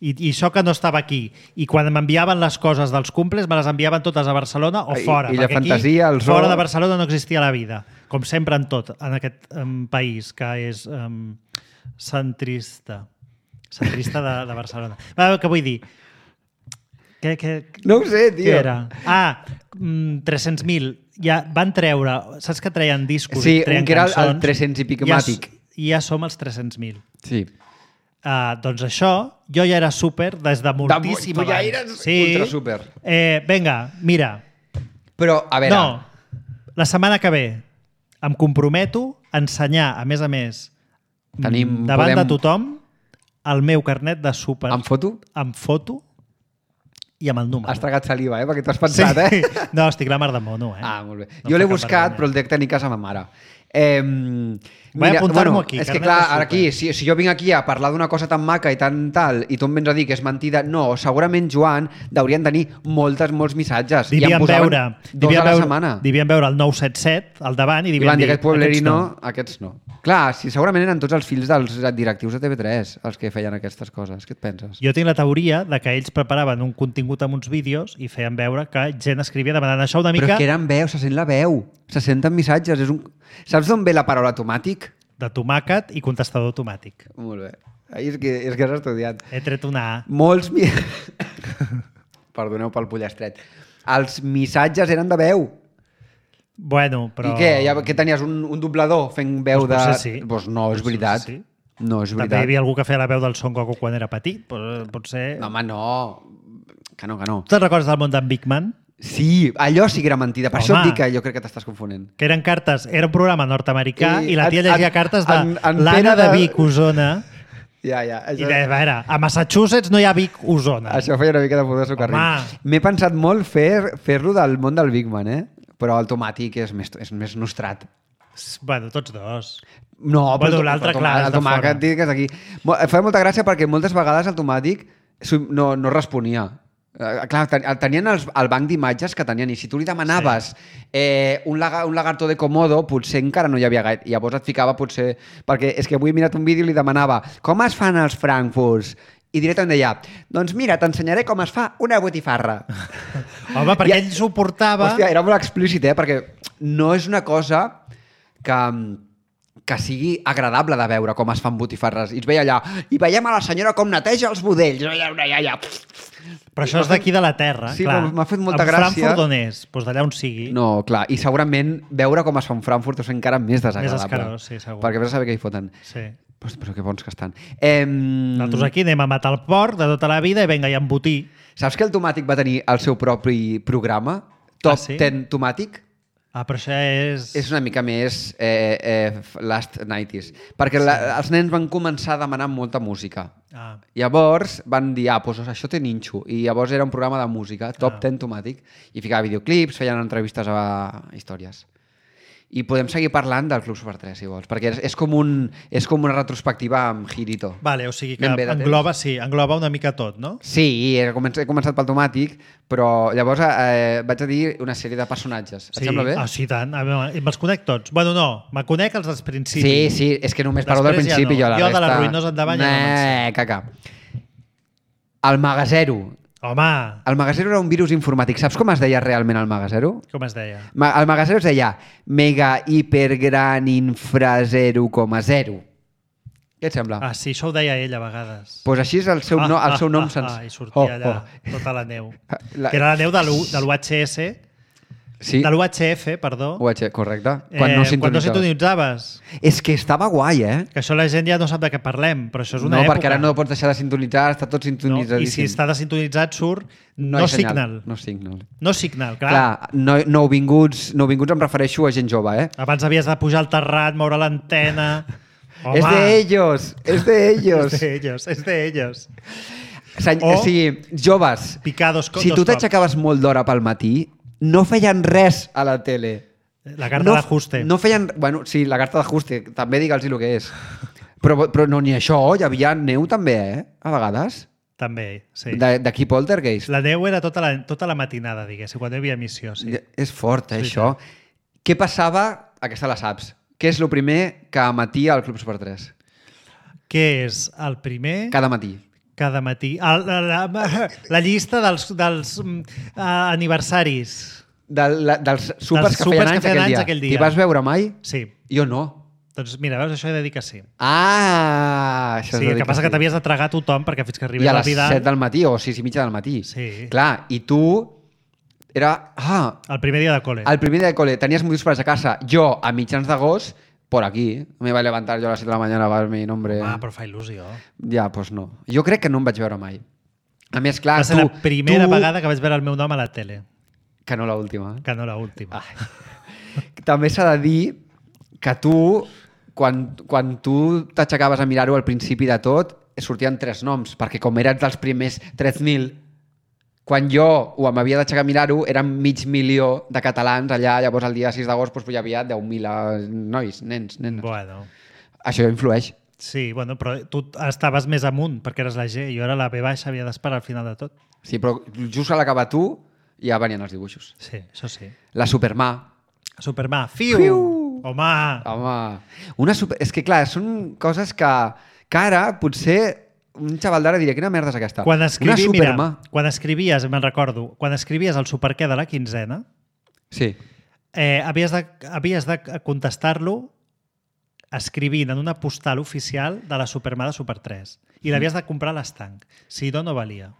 I, I això que no estava aquí. I quan m'enviaven les coses dels cumples, me les enviaven totes a Barcelona o
I-
fora.
i la
perquè aquí,
fantasia, el zoo.
fora de Barcelona no existia la vida. Com sempre en tot, en aquest um, país que és um, centrista. Centrista de, de Barcelona. Va, què vull dir? Què, què,
No ho sé, tio.
Què era? Ah, mm, tres-cents mil. Ja van treure... Saps que treien discos
Sí,
i treien
un que era el- el
cançons?
tres-cents i pico
Ja,
màtic.
I ja som els tres-cents mil.
Sí.
Uh, doncs això, jo ja era súper des de moltíssim
tu ja
abans.
eres ultra súper.
Eh, vinga, mira.
Però, a veure...
No, la setmana que ve em comprometo a ensenyar, a més a més,
Tenim-
davant
podem-
de tothom, el meu carnet de súper.
Amb foto?
Amb foto i amb el número.
Has tragat saliva, eh? Perquè t'ho has pensat, eh?
No, estic la mar de mono, eh?
Ah, molt bé.
No
jo
em
l'he
fa cap
buscat,
vergonya.
però el dec tenir a casa ma mare. Eh,
Vaig apuntar-m'ho aquí,
És que
carnet
clar,
de
ara
súper.
aquí, si, si jo vinc aquí a parlar d'una cosa tan maca i tan tal, i tu em vens a dir que és mentida, no, segurament, Joan, deurien tenir moltes, molts missatges. I
Devien
em posaven
veure,
dos
devien
a la
veure,
setmana.
devien veure el nou set set al davant i
I
devien
van dir,
dir,
aquest pueblerino,
aquests no.
aquests no. Clar, si segurament eren tots els fills dels directius de T V tres els que feien aquestes coses. Què et penses?
Jo tinc la teoria de que ells preparaven un contingut amb uns vídeos i feien veure que gent escrivia demanant això una
Però
mica
és que eren veu, se sent la veu. Se senten missatges. És un... Saps d'on ve la paraula tomàtic?
de tomàquet i contestador automàtic.
Molt bé. Ai, és, que, és que has estudiat.
He tret una A.
Molts... Mi... Perdoneu pel pollastret. Els missatges eren de veu.
Bueno, però...
I què? Ja, que tenies un, un doblador fent veu
Pues
de...
potser sí.
Pues no, és
Potser
veritat.
sí.
No, és
També hi
veritat.
havia algú que feia la veu del Son Goku quan era petit. Pot, potser...
No, home, no. Que no, que no.
Tu te'n recordes del món d'en Big Man?
Sí, allò sí que era mentida. Per
Home.
això et dic que jo crec que t'estàs confonent.
Que eren cartes... Era un programa nord-americà
I
i, la tia
en-
llegia
en-
cartes de
en- en
l'Anna
Pere
de
de-
Vic, Osona.
Ja, ja.
I
Això,
de, a veure, a Massachusetts no hi ha Vic, Osona.
això feia una mica de foto de socarrim.
Home.
M'he pensat molt fer- fer-lo del món del Big Man, eh? Però el tomàtic és més, és més nostrat.
Bueno, tots dos.
No,
Bueno,
el-
l'altre,
el
clar,
tomàquet,
és
el
de
tomàquet
fora.
dic que és aquí. Mo- Em fa molta gràcia perquè moltes vegades el tomàtic s'ho- no, no responia. Uh, clar, ten, tenien els, el banc d'imatges que tenien, i si tu li demanaves sí. eh, un, laga, un lagarto de Komodo, potser encara no hi havia gaire. I llavors et ficava potser... Perquè és que avui he mirat un vídeo i li demanava com es fan els frankfurts? I directament deia, doncs mira, t'ensenyaré com es fa una botifarra.
Home, perquè
I,
ell suportava...
Hòstia, era molt explícit, eh? Perquè no és una cosa que... que sigui agradable de veure com es fan botifarres. I es veia allà, i veiem a la senyora com neteja els budells. Ja, ja, ja.
Però això és d'aquí de la terra,
sí,
clar.
m'ha fet molta
en
gràcia.
Frankfurt on és? Doncs d'allà on sigui.
No, clar, i segurament veure com es fa un Frankfurt és encara més desagradable.
Més escarós, sí, segur.
Perquè vés a saber què hi foten.
Sí.
Però, però que bons que estan. Eh...
Nosaltres aquí anem a matar el porc de tota la vida i vinga, i embotir.
Saps que el Tomàtic va tenir el seu propi programa? Top
Ah, sí?
ten Tomàtic?
Ah, però això és...
És una mica més eh, eh, last nineties. Perquè sí. la, els nens van començar a demanar molta música.
Ah.
Llavors van dir, ah, doncs això té ninxo. I llavors era un programa de música, Top
Ah.
ten Tomàtic, i ficava videoclips, feien entrevistes a històries. I podem seguir parlant del Club Super tres, si vols, perquè és, és, com, un, és com una retrospectiva amb Girito.
Vale, o sigui que
Ben bé de
engloba, sí, engloba una mica tot, no?
Sí, he començat, he començat pel Tomàtic, però llavors eh, vaig a dir una sèrie de personatges. Et
Sí,
sembla bé?
ah, sí, tant. A veure, me'ls conec tots. Bueno, no, me conec els dels principis.
Sí, sí, és que només parlo del
Després ja
principi.
no.
Jo, la
Jo de
resta...
les ruïnes endavant ja no me'n sé.
Nah, caca. El Magasero.
Home,
El Magasero era un virus informàtic. Saps com es deia realment el Magasero?
com es deia?
Ma- El Magasero es deia mega hiper gran infra zero coma zero. Què et sembla?
Ah, sí, això ho deia ell a vegades.
Pues així és el seu, no, el seu nom
ah,
sens...
ah, I sortia allà tota la neu.
La-
Que era la neu de l'U- de l'U H S,
Sí,
de l'U H F, perdó.
U H, correcte. Quan no
Eh, quan no
sintonitzaves.
sintonitzaves.
És que estava guai, eh?
Que això la gent ja no sap de què parlem, però això és una
No,
època.
perquè ara no pots deixar de sintonitzar, està tot
No? I
sintonitzadíssim.
si està desintonitzat surt no,
hi ha
signal.
No signal.
No signal, clar.
Clar, no, nouvinguts, nouvinguts em refereixo a gent jove, eh?
Abans havies de pujar al terrat, moure l'antena... Home,
És de ellos, és de ellos.
És de ellos, és de ellos.
Seny,
O-
o sigui, joves,
Picar dos, co-
si tu
dos cops.
t'aixecaves molt d'hora pel matí, no feien res a la tele.
La carta
no,
d'ajuste.
No feien... Bueno, sí, la carta d'ajuste, també digue'ls el que és. Però, però no, ni això, hi havia neu també, eh? A vegades.
També, sí.
De- D'aquí Poltergeist.
La neu era tota la, tota la matinada, diguéssim, quan hi havia emissió, sí.
És fort, eh,
Sí,
això. Què passava? Aquesta la saps. Què és el primer que emetia al Club Super tres?
Què és el primer?
Cada matí.
Cada matí. El, la, la, la llista dels, dels uh, aniversaris.
De, la, dels supers
Dels
que
supers
feien
que
anys
feien
aquell
anys
dia.
aquell dia.
T'hi vas veure mai?
Sí.
Jo no.
Doncs mira, veus, això he de dir que sí.
Ah, això
Sí,
és
el que passa
sí.
que t'havies de tragar tothom perquè fins que
I
arribés
a
el
les
Vidal...
set del matí o sis i mitja del matí.
Sí.
Clar, i tu... Era... Ah,
El primer dia de col·le.
el primer dia de col·le tenies motius per a casa. Jo, a mitjans d'agost, por aquí, me iba a levantar yo a las siete de la mañana para ver mi nombre.
Ah, però fa il·lusió.
Ja, doncs pues no. Jo crec que no em vaig veure mai. A més, clar,
Va ser
tu...
la primera
tu...
vegada que vaig veure el meu nom a la tele,
Que no l'última.
que no l'última.
Ah. També s'ha de dir que tu, quan, quan tu t'aixecaves a mirar-ho al principi de tot, sortien tres noms, perquè com eres dels primers tres mil, quan jo ho m'havia d'aixecar a mirar-ho, eren mig milió de catalans allà, llavors el dia sis d'agost doncs, hi havia deu mil nois, nens, nenes.
Bueno,
Això influeix.
sí, bueno, però tu estaves més amunt perquè eres la G i jo era la B baixa, havia d'esperar al final de tot.
Sí, però just a l'acabar tu ja venien els dibuixos.
Sí, això sí.
La Supermà.
Supermà, fiu!
Fiu!
Home!
Home, una super... és que clar, són coses que, que ara potser un xaval d'ara diria, quina merda és aquesta?
Quan escrivi,
una
mira,
Supermà.
quan escrivies, me'n recordo, quan escrivies el superqué de la quinzena,
Sí.
eh, havies de, havies de contestar-lo escrivint en una postal oficial de la Supermà de Super tres. I l'havies de comprar a l'estanc. Si no, no valia.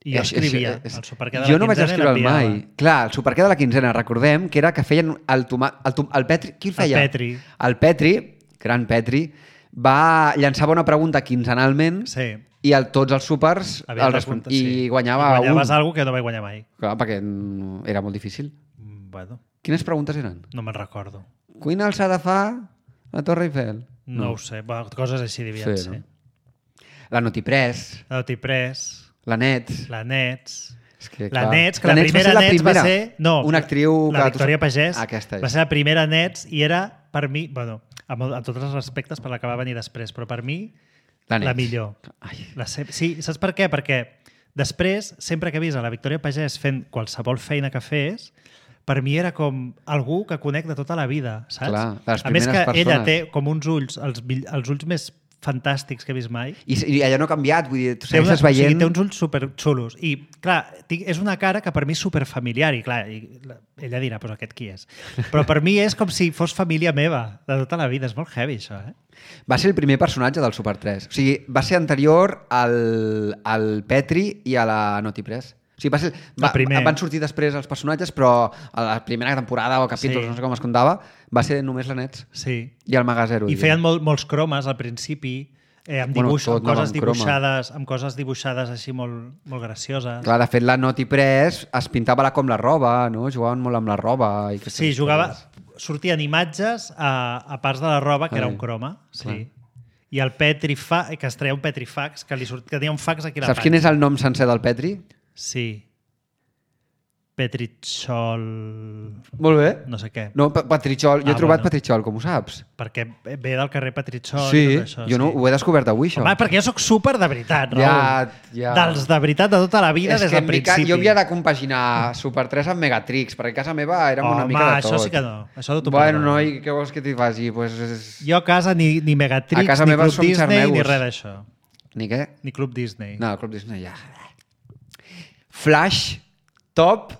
I jo
És- és-
escrivia
és-
el superqué de la
Jo no vaig
quinzena i
escriure'l
l'enviava.
mai. Clar, el superqué de la quinzena, recordem que era que feien el, toma, el, tom, el Petri... Qui el feia?
Petri.
El Petri, gran Petri, va llançava una pregunta quinzenalment
Sí.
i el, tots els supers
Havies
el
de
respon...
comptar,
i
sí.
guanyava
I guanyaves
un.
algo que no vaig guanyar mai.
Clar, perquè mm, era molt difícil.
Mm, Bueno,
Quines preguntes eren?
no me'n recordo.
Quina alçada fa la Torre Eiffel?
No, no ho sé. Bueno, coses així devien
Sí,
ser.
no? La Notipress,
La Notipress,
la Nets...
la Nets...
És que,
La
clar,
Nets, que la,
Nets
primera
va ser la
Nets
primera.
va ser... No,
una actriu...
la
que tu
Victòria
saps-
Pagès
Aquesta és.
va ser la primera Nets i era, per mi, bueno, amb, amb tots els respectes per la que va venir després, però per mi,
La
la,
Nets.
millor.
Ai.
La se... Sí, saps per què? Perquè Després, sempre que he vist a la Victòria Pagès fent qualsevol feina que fes, per mi era com algú que conec de tota la vida, saps?
Clar, de les
a més que
primeres persones.
ella té com uns ulls, els, mill- els ulls més fantàstics que he vist mai.
I, I allò no ha canviat, vull dir, tu
Té, una,
segueixes
o sigui,
veient...
té uns ulls superxulos. I, clar, tinc, és una cara que per mi és superfamiliar. I, clar, i, la- ella dirà, pues aquest qui és? Però per mi és com si fos família meva, de tota la vida. És molt heavy, això, eh?
Va ser el primer personatge del Super tres. O sigui, va ser anterior al, al Petri i a la Naughty Press. O sigui, va ser, va,
El primer.
van sortir després els personatges, però a la primera temporada o capítols,
Sí.
no sé com es comptava, va ser només la Nets
Sí.
i el Magazero.
I feien molt, molts cromes al principi, eh, amb,
Bueno,
dibuix,
tot
amb, coses
anava amb croma.
dibuixades, amb coses dibuixades així molt, molt gracioses.
Clar, de fet, la Naughty Press es pintava la com la roba, no? Jugaven molt amb la roba. I aquestes
Sí, jugava...
coses.
Sortien imatges a, a parts de la roba que
Ai,
era un croma. Sí.
clar.
I el Petrifax, que es treia un Petrifax, que, li sort, que tenia un fax aquí a la
Saps quin és el nom sencer del Petri?
Sí. Petrichol...
Molt bé.
No sé què.
No, Pa- Patrichol. Jo
Ah,
he trobat
bueno.
Patrichol, com ho saps?
Perquè ve del carrer Petrichol
Sí,
i tot això.
jo no,
sí.
ho he descobert avui, això.
Home, perquè jo sóc súper de veritat, Raül.
Ja, ja.
Dels de veritat de tota la vida,
És
des
que
del
mica,
principi.
jo havia de compaginar Super tres amb Megatrix, perquè a casa meva érem una
Home,
mica de tot.
això sí que no. Això no t'ho
Bueno,
perdono.
noi, què vols que t'hi faci? Pues és...
Jo a casa ni, ni Megatrix,
A casa
ni
meva
Club
som
Disney, ni
xarneus.
res d'això.
Ni què?
Ni Club Disney.
No, el Club Disney ja. Flash, Top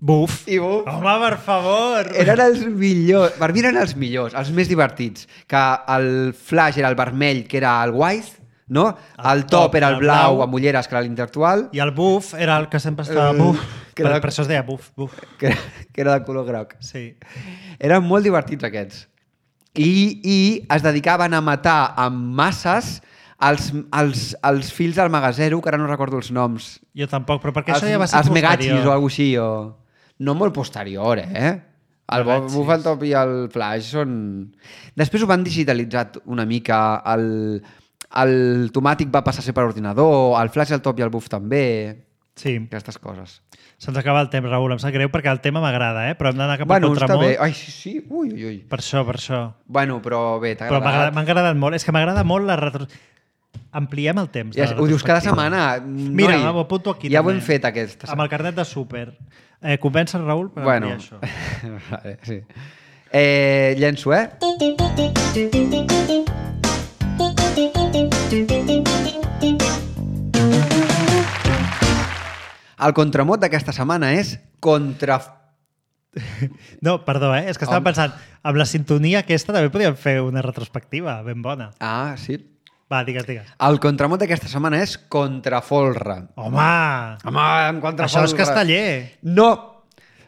Buf.
i Buf.
Home, per favor.
Eren els millors. Per mi eren els millors, els més divertits. Que el Flash era el vermell, que era el white, no? El,
El
top,
top
era el
era
blau,
blau.
amb ulleres, que era l'intel·lectual,
I el buf era el que sempre estava
Eh,
buf.
que era
Per,
de-
per això es deia buf, buf.
que, que era de color groc.
Sí.
Eren molt divertits aquests. I, i es dedicaven a matar amb masses els, els, els fills del Magazero, que ara no recordo els noms.
Jo tampoc, però perquè
Els,
això ja va ser
els Megachis
posterior.
o alguna així. O... No molt posterior, eh? El Bob
Megachis.
Buff, el Top i el Flash són... Després ho van digitalitzar una mica. El, el Tomàtic va passar a ser per ordinador, el Flash, el Top i el Buff també.
Sí.
Aquestes coses.
Se'ns acaba el temps, Raül. Em sap greu perquè el tema m'agrada, eh? Però hem d'anar cap al
Bueno, està
contramont.
bé. Ai, sí, sí. Ui, ui, ui.
Per això, per això.
Bueno, però bé, t'ha
Però m'ha agradat-
agradat.
m'ha agradat molt. És que m'agrada molt la retro... Ampliem el temps. de
Ja,
la
ho dius cada
retrospectiva.
setmana.
Mira,
noi,
ho apunto aquí.
Ja ho
també.
hem fet aquesta
Amb el carnet de súper. Eh, Convença el Raül per
Bueno,
ampliar això.
vale, sí. Eh, llenço, eh? El contramot d'aquesta setmana és contra...
No, perdó, eh? És que estava
Home.
pensant, amb la sintonia aquesta també podíem fer una retrospectiva ben bona.
Ah, sí.
Va, digues, digues.
El contramot d'aquesta setmana és contrafolre.
Home!
Home, en contrafolre.
Això és casteller.
No!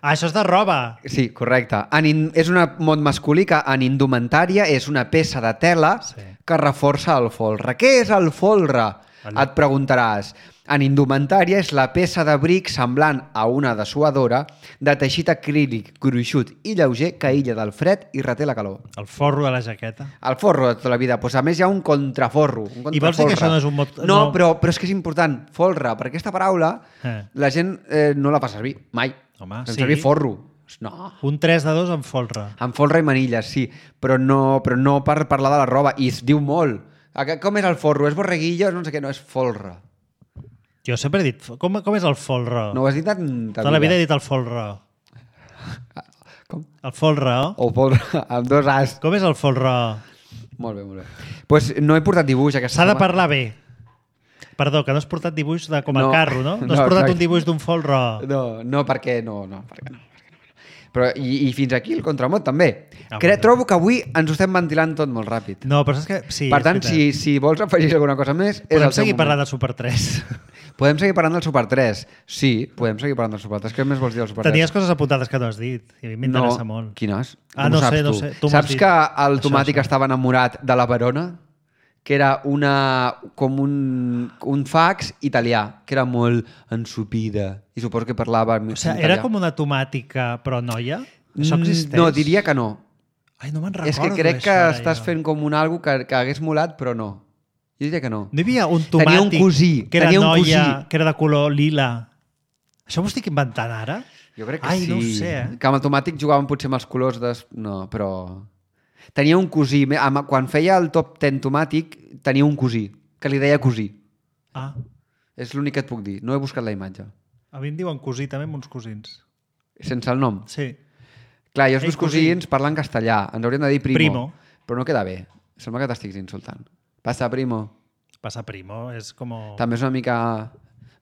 Ah, això és de roba.
Sí, correcte. En in... És un mot masculí que en indumentària és una peça de tela
Sí.
que reforça el folre. Què és el folre?
Allò.
Et preguntaràs. En indumentària és la peça d'abric semblant a una dessuadora de teixit acrílic gruixut i lleuger que aïlla del fred i reté la calor.
El forro de la jaqueta.
El forro de tota la vida. Pues, a més, hi ha un contraforro. Un
I vols dir que
contrafolre.
això no és un mot-
No,
no.
Però, però és que és important. Folre, perquè aquesta paraula
Eh.
la gent eh, no la fa servir. Mai.
Home,
Fem
sí.
servir forro. No.
Un tres de dos amb folre.
Amb folre i manilles, sí, però no, però no per parlar de la roba. I es diu molt. A- Com és el forro? És borreguillo? No sé què, no, és folre.
Jo sempre he dit... Com, com és el folre?
No ho has dit en...
Tota la vida he dit el folre.
Com?
El folre.
O folre, amb dos as.
Com és el folre?
Molt bé, molt bé. Doncs pues no he portat dibuix aquesta
S'ha de
setmana.
parlar bé. Perdó, que no has portat dibuix de, com el
No.
carro, no? No,
No,
has portat
exacte.
un dibuix d'un folre.
No, no, perquè no, no, perquè no. Perquè no. Però, i, I fins aquí el contramot també.
Ah,
Cre
bueno.
Trobo que avui ens ho estem ventilant tot molt ràpid.
No, però saps que... Sí,
per
és
tant,
veritat.
si, si vols afegir alguna cosa més, és
Podem
el teu
seguir
moment.
parlant de Super tres.
Podem seguir parlant del Super tres. Sí, podem seguir parlant del Super tres. Què més vols dir del Super tres?
Tenies coses apuntades que no has dit. I a mi m'interessa
no.
molt.
Quines?
Ah,
Com
no
ho saps
sé, no
tu?
sé. Tu m'has
Saps
dit.
que el
Això,
Tomàtic
això.
estava enamorat de la Verona? Que era una, com un, un fax italià, que era molt ensupida. I suposo que parlava en
O sigui,
italià.
era com una tomàtica, però noia? Això
Mm,
existeix?
No, diria que no.
Ai, no me'n recordo
És que crec que
d'això, ara,
estàs
jo.
fent com un algo que, que hagués molat, però no. Jo diria que no.
No hi havia un
Tenia
tomàtic
un cosí,
que era
tenia un
noia,
cosí.
que era de color lila. Això m'ho estic inventant ara?
Jo crec que
Ai,
sí.
no ho sé, eh?
Que amb el Tomàtic jugaven potser amb els colors de... No, però... Tenia un cosí. Me- amb- Quan feia el top ten Tomàtic, tenia un cosí, que li deia cosí.
Ah,
És l'únic que et puc dir. No he buscat la imatge.
A mi em diuen cosí també amb uns cosins.
Sense el nom.
Sí.
Clar, jo els
Ei,
meus cosins
cosí.
parlen castellà. Ens haurien de dir primo.
Primo.
Però no queda bé. Sembla que t'estiguis insultant. Passa, primo.
Pasa primo, és com...
També és una mica...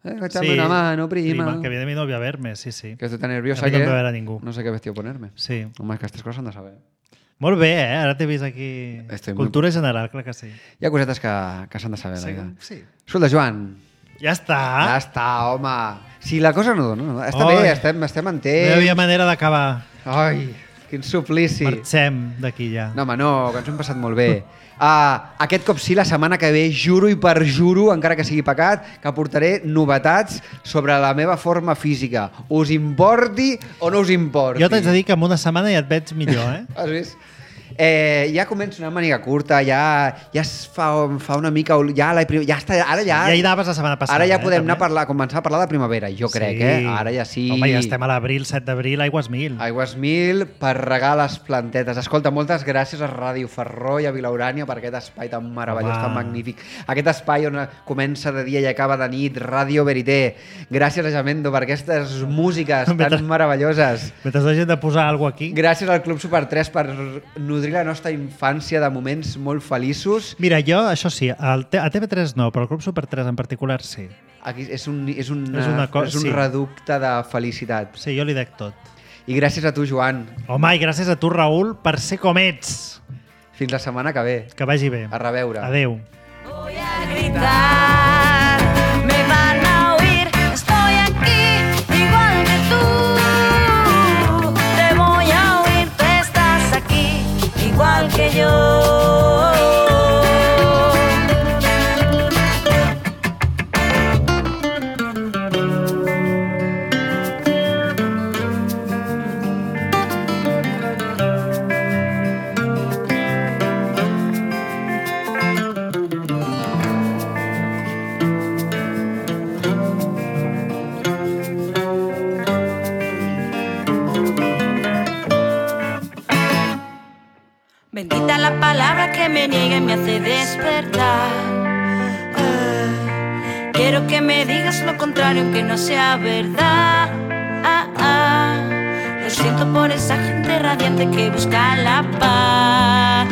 Eh, echame una mano, prima.
prima. Que viene mi novia a verme, sí, sí.
Que estoy tan nerviosa
A mi
que...
no em ve a veure ningú.
No sé qué vestido ponerme.
Sí.
Home, és que aquestes coses s'han de saber.
Molt bé, eh? Ara t'he vist aquí...
Estoy
Cultura
muy...
general, clar que sí.
Hi ha cosetes que, que s'han de saber.
Sí,
Sí.
sí.
Escolta, Joan,
Ja està.
ja està, home. Si la cosa no dona, no, està
Oi.
bé, estem, estem en
No hi
temps.
havia manera d'acabar.
Ai, quin suplici.
Marxem d'aquí ja.
No, home, no, que ens ho hem passat molt bé. Uh, aquest cop sí, la setmana que ve, juro i perjuro, encara que sigui pecat, que portaré novetats sobre la meva forma física. Us importi o no us importi?
Jo t'haig de dir que en una setmana ja et veig millor, eh?
Has vist? Eh, ja començo una màniga curta, ja, ja es fa, fa una mica... Ja, la, ja està, ara ja...
Ja hi anaves la setmana passada.
Ara ja
eh,
podem
també.
anar a, parlar, a començar a parlar de primavera, jo crec,
Sí.
eh? Ara ja sí...
Home, ja estem a l'abril, set d'abril, aigües mil.
Aigües mil per regar les plantetes. Escolta, moltes gràcies a Ràdio Ferró i a Vilaurània per aquest espai tan meravellós,
Home.
tan magnífic. Aquest espai on comença de dia i acaba de nit, Ràdio Verité. Gràcies a Jamendo per aquestes músiques
Mentre-
tan meravelloses.
Mentre hagin de posar alguna cosa aquí.
Gràcies al Club Super tres per nodrir la nostra infància de moments molt feliços.
Mira, jo, això sí, al T- a T V tres no, però al Club Super tres en particular sí.
Aquí és un, és una,
És una co-
és un
sí.
reducte de felicitat.
Sí, jo li dec tot.
I gràcies a tu, Joan.
Home, i gràcies a tu, Raül, per ser com ets.
Fins la setmana que ve.
Que vagi bé.
A reveure.
Adéu.
Voy a gritar, me van a oír, estoy aquí, igual que tú. Te voy a oír, tú estás aquí, igual que yo. Bendita la palabra que me niega y me hace despertar. Ah, quiero que me digas lo contrario, aunque no sea verdad. Ah, ah, lo siento por esa gente radiante que busca la paz.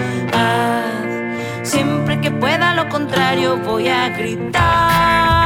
Siempre que pueda lo contrario voy a gritar.